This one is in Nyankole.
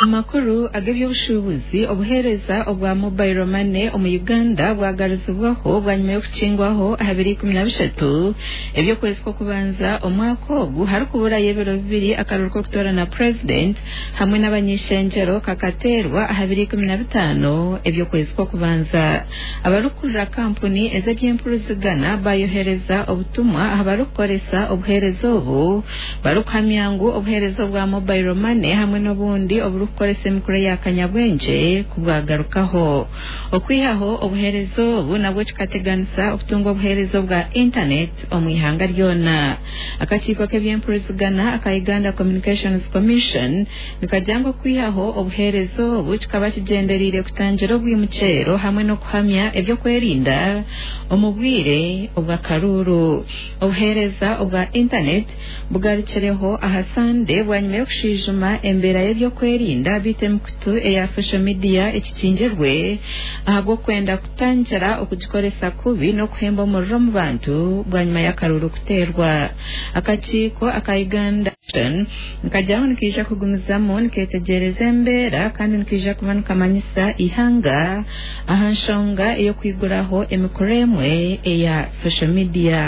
Amakuru ag'eby'obushuubuzi obuheereza obwa mobile money omu Uganda bwagarizibwaho bwanyima y'okukingwaho aha biro 13 eby'okwezi kw'okubanza omwaka ogu harikuburayo ebiro bibiri akaruru k'okutoorana purezidenti hamwe n'abany'ishengyero kakateerwa aha biro 15 eby'okwezi kw'okubanza. Abarikukurira kampuni ez'eby'empurizigana bayohereza obutumwa aha barikukoresa obuheereza obu barikuhamya ngu obuheereza obwa mobile money hamwe n'obundi oburikukoresa emikura ya kanyabwengye kubwagarukaho. Okwihaho obuheereza obu nabwo kikateganisa okutunga obuheereza obwa intaneti omu ihanga ryona. Akakiiko k'eby'empurizigana aka Uganda Communications Commission nikagira ngu okwihaho obuheereza obu kikaba kigyendereire kutangira obwimukyero hamwe n'okuhamya eby'okwerinda omu bwire obw'akaruuru. Obuheereza obwa intaneti bugarukireho aha Sande bwanyima y'okushwijuma embeera y'eby'okwerinda beitu emikutu eya social media ekikingirwe ahabw'okwenda kutangira okugikoresa kubi n'okuhemba omuriro omu bantu bwanyima y'akaruuru kuteerwa. Akakiiko aka Uganda nikagira ngu nikaija kugumizamu nikeetegyereza embeera kandi nikaija kuba nikamanyisa eihanga aha nshonga ey'okwiguraho emikura emwe eya social media.